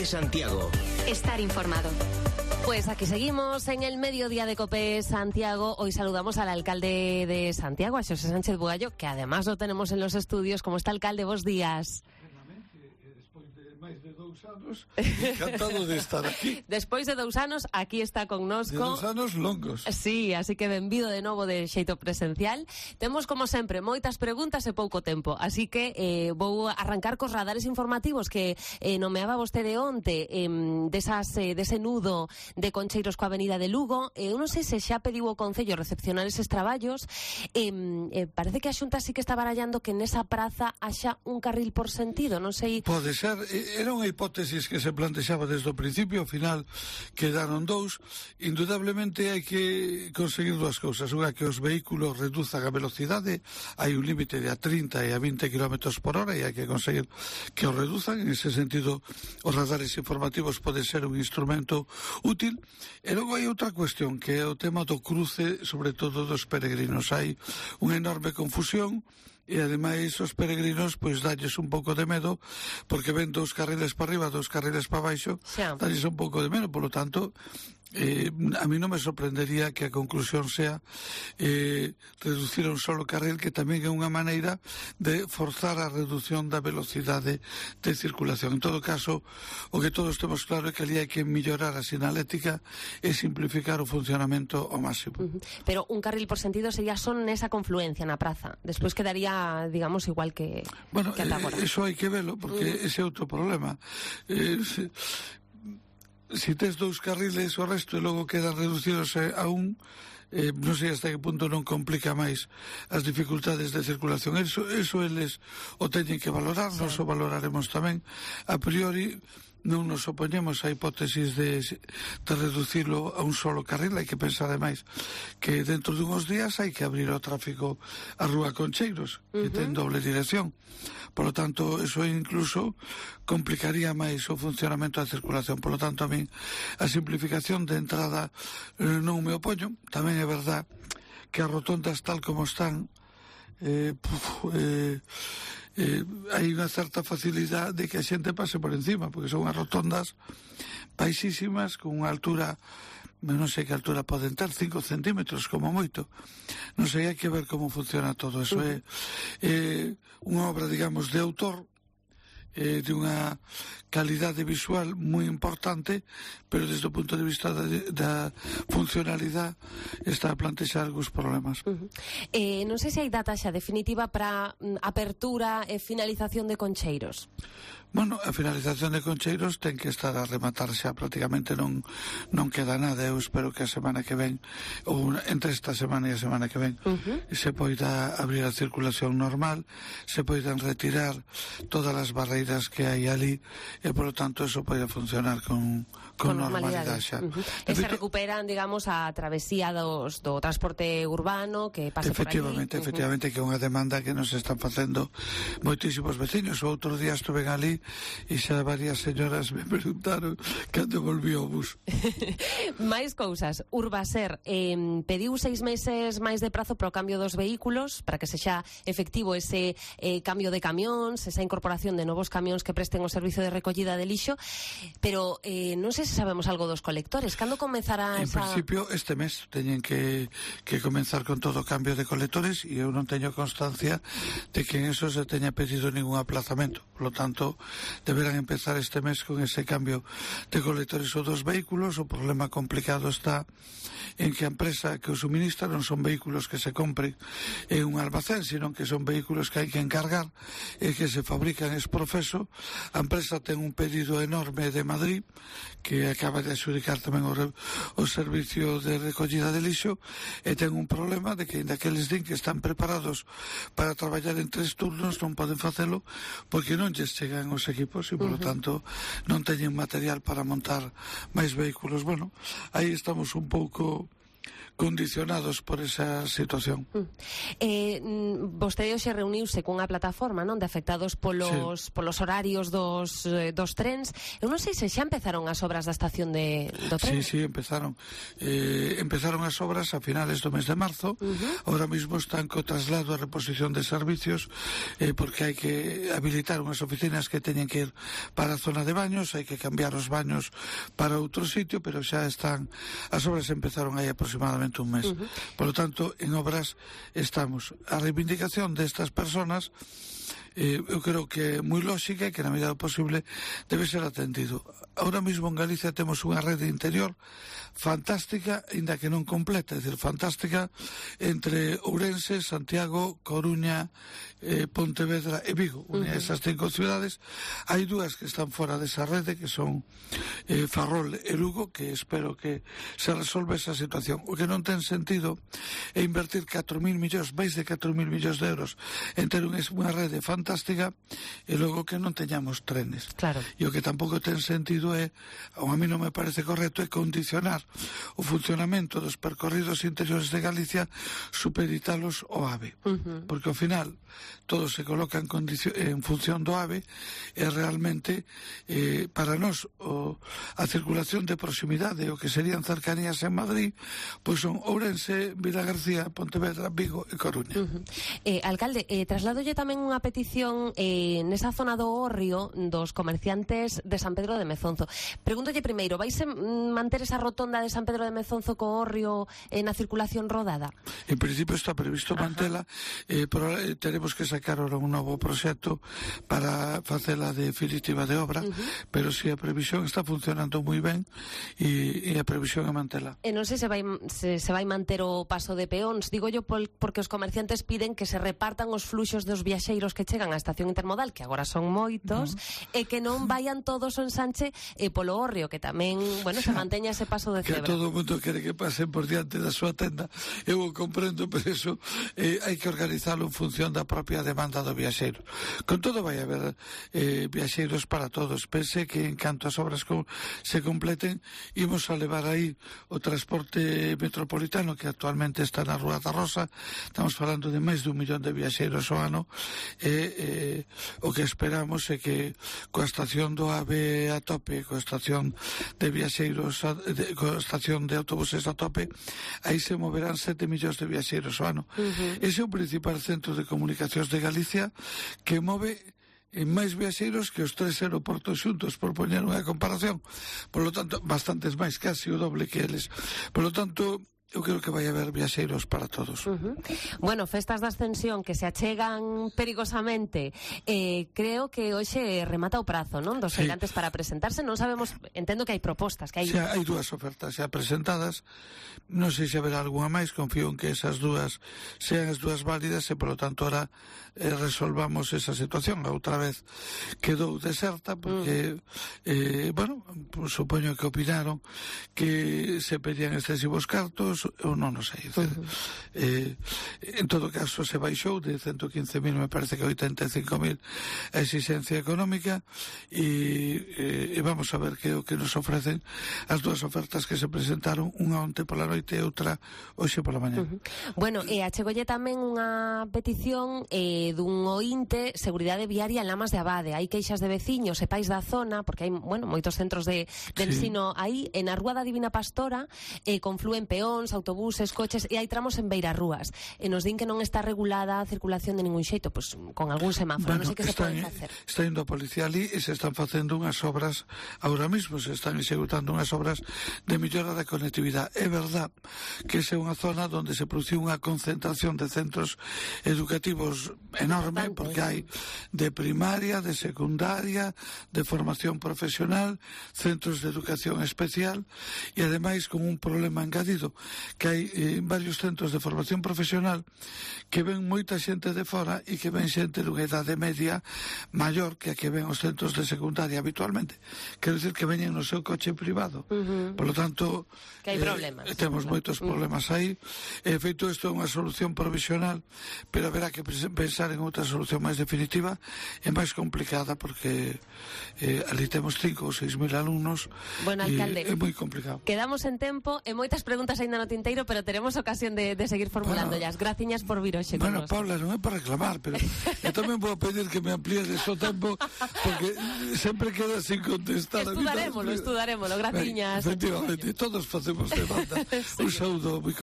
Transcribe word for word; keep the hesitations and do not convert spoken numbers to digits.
Santiago. Estar informado. Pues aquí seguimos en el mediodía de COPE Santiago. Hoy saludamos al alcalde de Santiago, a Xosé Sánchez Bugallo, que además lo tenemos en los estudios. ¿Cómo está, alcalde? Bos días. Despois de máis de dous anos, encantado de estar aquí. Despois de dous anos, aquí está connosco. De dous anos longos. Sí, así que benvido de novo de xeito presencial. Temos, como sempre, moitas preguntas e pouco tempo, así que eh, vou arrancar cos radares informativos que eh, nomeaba vostede onte, eh, desas, eh, dese nudo de concheiros coa avenida de Lugo. Eh, eu non sei se xa pediu o Concello recepcionar eses traballos. Eh, eh, parece que a Xunta sí que está barallando que nesa praza haxa un carril por sentido, non sei... Pode ser, era unha hipótesis que se plantexaba desde o principio, ao final quedaron dous. Indudablemente hai que conseguir dúas cousas: unha, que os vehículos reduzan a velocidade, hai un límite de a trinta e a vinte kilómetros por hora e hai que conseguir que os reduzan. En ese sentido, os radares informativos pode ser un instrumento útil. E logo hai outra cuestión, que é o tema do cruce, sobre todo dos peregrinos. Hai unha enorme confusión e ademais os peregrinos pois dalles un pouco de medo, porque ven dous carriles para arriba, dous carriles para baixo, dalles un pouco de medo. Polo tanto, eh, a mí non me sorprendería que a conclusión sea eh, reducir un solo carril, que tamén é unha maneira de forzar a reducción da velocidade de circulación. En todo caso, o que todos temos claro é que ali hai que mellorar a sinalética e simplificar o funcionamento ao máximo. Uh-huh. Pero un carril por sentido sería son nesa confluencia na praza, despois quedaría, digamos, igual que, bueno, que ata agora. Eh, eso hai que velo, porque uh-huh. ese é outro problema. Eh, se, Si tes dous carriles, o resto e logo quedan reducidos a un, eh, non sei hasta que punto non complica máis as dificultades de circulación. Eso, eso eles o teñen que valorar, sí. Nos o valoraremos tamén. A priori non nos opoñemos a hipótesis de, de reducirlo a un solo carril. Hai que pensar ademais que dentro de uns días hai que abrir o tráfico a Rúa Concheiros, que uh-huh. ten doble dirección. Por lo tanto, eso incluso complicaría máis o funcionamento da circulación. Por lo tanto, a mí a simplificación de entrada eh, non me opoño. Tamén é verdad que as rotondas tal como están, eh, puf, eh, eh, hai unha certa facilidade de que a xente pase por encima, porque son as rotondas baixísimas, con unha altura, non sei que altura poden ter, cinco centímetros como moito. Non sei, hai que ver como funciona todo eso. É eh, unha obra, digamos, de autor, eh, de unha calidade visual moi importante, pero desde o punto de vista da, da funcionalidade está a plantexar algúns problemas. Uh-huh. eh, non sei se hai data xa definitiva para mm, apertura e finalización de Concheiros. Bueno, a finalización de Concheiros ten que estar a rematar xa, prácticamente non non queda nada. Eu espero que a semana que ven, ou entre esta semana e a semana que ven, uh-huh. se poida abrir a circulación normal, se poidan retirar todas as barreiras que hai ali e, por lo tanto, eso pode funcionar con, con, con normalidade xa. Uh-huh. E se recuperan, digamos, a travesía dos, do transporte urbano que pasa por ali. Efectivamente, efectivamente, uh-huh. que é unha demanda que nos están facendo moitísimos vecinos. O outro día estuve ali e xa varias señoras me preguntaron cando volví ao bus. Máis cousas. Urbaser eh, pediu seis meses máis de prazo para o cambio dos vehículos, para que sexa efectivo ese eh, cambio de camións, esa incorporación de novos camións que presten o servicio de recollida de lixo, pero eh, non sei se sabemos algo dos colectores. Cando comezará en esa... En principio este mes teñen que, que comenzar con todo o cambio de colectores, e eu non teño constancia de que en eso se teña pedido ningún aplazamento. Por lo tanto, deberán empezar este mes con ese cambio de colectores ou dos vehículos. O problema complicado está en que a empresa que o suministra non son vehículos que se compren en un almacén, sino que son vehículos que hai que encargar e que se fabrican ex profeso. A empresa ten un pedido enorme de Madrid, que acaba de adxudicar tamén o, re, o servicio de recollida de lixo, e ten un problema de que, ainda que eles din que están preparados para traballar en tres turnos, non poden facelo porque non lles chegan os equipos e, por lo tanto, non teñen material para montar máis vehículos. Bueno, aí estamos un pouco condicionados por esa situación. Mm. Eh, vostede hoxe reuniuse cunha plataforma, non, de afectados polos, sí. polos horarios dos, eh, dos trens. Eu non sei se xa empezaron as obras da estación de, do tren. Sí, sí, empezaron. Eh, empezaron as obras a finales do mes de marzo. Uh-huh. Ahora mismo están co traslado e reposición de servicios, eh, porque hai que habilitar unhas oficinas que teñen que ir para a zona de baños, hai que cambiar os baños para outro sitio, pero xa están, as obras empezaron aí aproximadamente un mes. Uh-huh. Por lo tanto, en obras estamos. A reivindicación destas personas eh, eu creo que é moi lógica e que na medida do posible debe ser atendido. Ahora mismo en Galicia temos unha rede interior fantástica, ainda que non completa, é dicir, fantástica entre Ourense, Santiago, Coruña, eh, Pontevedra e Vigo, une uh-huh. esas cinco ciudades. Hai dúas que están fora desa rede, que son eh, Ferrol e Lugo, que espero que se resolve esa situación. O que non ten sentido é invertir catro mil millóns, máis de catro mil millóns de euros en ter unha rede fantástica e logo que non teñamos trenes. Claro. E o que tampouco ten sentido é, ou a mí non me parece correcto, é condicionar o funcionamento dos percorridos interiores de Galicia, supeditalos ao AVE. Uh-huh. Porque ao final todo se coloca en, en función do AVE e realmente eh, para nós o, a circulación de proximidade, o que serían cercanías en Madrid, pois son Ourense, Vilagarcía, Pontevedra, Vigo e Coruña. Uh-huh. eh, Alcalde, eh, trasladolle tamén unha petición eh, nesa zona do Hórreo dos comerciantes de San Pedro de Mezonzo. Pregúntolle primeiro, vais manter esa rotonda de San Pedro de Mezonzo co Hórreo eh, na circulación rodada? En principio está previsto mantela, eh, pero eh, teremos que sacar ahora un novo proxecto para facela definitiva de obra, uh-huh. pero si a previsión está funcionando moi ben e, e a previsión é mantela. E non sei se vai, se, se vai manter o paso de peóns, digo yo pol, porque os comerciantes piden que se repartan os fluxos dos viaxeiros que chegan á estación intermodal, que agora son moitos, uh-huh. e que non vayan todos o ensanche e polo Hórreo, que tamén, bueno, se manteña ese paso de cebra. Que todo o mundo quere que pasen por diante da súa tenda. Eu o comprendo, pero eso eh, hai que organizalo en función da propia demanda do viaxeiro. Con todo vai haber eh, viaxeiros para todos. Pense que en canto as obras co se completen, imos a levar aí o transporte metropolitano que actualmente está na Rúa da Rosa. Estamos falando de máis dun millón de viaxeiros ao ano e eh, o que esperamos é que coa estación do AVE a tope, coa estación de viaxeiros a, de, coa estación de autobuses a tope, aí se moverán sete millóns de viaxeiros ao ano. Uh-huh. Ese é o principal centro de comunicacións de Galicia que move en máis viaxeiros que os tres aeroportos xuntos, por poñer unha comparación. Por lo tanto, bastantes máis, casi o doble que eles. Por lo tanto, eu creo que vai haber viaxeiros para todos. Uh-huh. Bueno, festas da Ascensión que se achegan perigosamente, eh, creo que hoxe remata o prazo, non? Dos feirantes sí. para presentarse, non sabemos, entendo que hai propostas, que hai... Xa, hai dúas ofertas xa presentadas, non sei se haberá algunha máis, confío en que esas dúas sean as dúas válidas e, por lo tanto, ahora eh, resolvamos esa situación. A outra vez quedou deserta porque, uh-huh. eh, bueno, supoño que opinaron que se pedían excesivos cartos, ou non o sei. Uh-huh. eh, en todo caso se baixou de ciento quince mil, me parece que oitenta e cinco mil a exigencia económica e, e vamos a ver que o que nos ofrecen as dúas ofertas que se presentaron, unha onte pola noite e outra hoxe pola mañá. Uh-huh. Bueno, e achegolle tamén unha petición eh, dun oínte, seguridade viaria en Lamas de Abade. Hai queixas de veciños e pais da zona, porque hai, bueno, moitos centros de, de sí. ensino aí, en a Rúa da Divina Pastora eh, confluen peóns, autobuses, coches, e hai tramos en beirarrúas. E nos din que non está regulada a circulación de ningún xeito, pois con algún semáforo, bueno, non sei que se pode facer. Está indo a policía ali e se están facendo unhas obras, ahora mismo se están executando unhas obras de mellora da conectividade. É verdad que esa é unha zona onde se produciu unha concentración de centros educativos enorme, porque hai de primaria, de secundaria, de formación profesional, centros de educación especial e ademais con un problema engadido, que hai eh, varios centros de formación profesional que ven moita xente de fora e que ven xente dunha idade media maior que a que ven os centros de secundaria habitualmente. Quero dicir que veñen no seu coche privado. Uh-huh. Por lo tanto, que hai problemas. Eh, temos moitos problemas uh-huh. aí. E feito isto é unha solución provisional, pero haberá que pensar en outra solución máis definitiva e máis complicada, porque eh, ali temos cinco ou seis mil alumnos. Bueno, alcalde, e é moi complicado. Quedamos en tempo e moitas preguntas aínda non no tinteiro, pero teremos ocasión de, de seguir formulándolas. Bueno, graciñas por vir hoxe con Bueno, nos. Paula, non é para reclamar, pero eu tamén vou pedir que me amplíes o tempo, porque sempre queda sin contestar. Estudarémolo, estudarémolo, graciñas. Efectivamente, todos facemos de banda. Un saúdo moi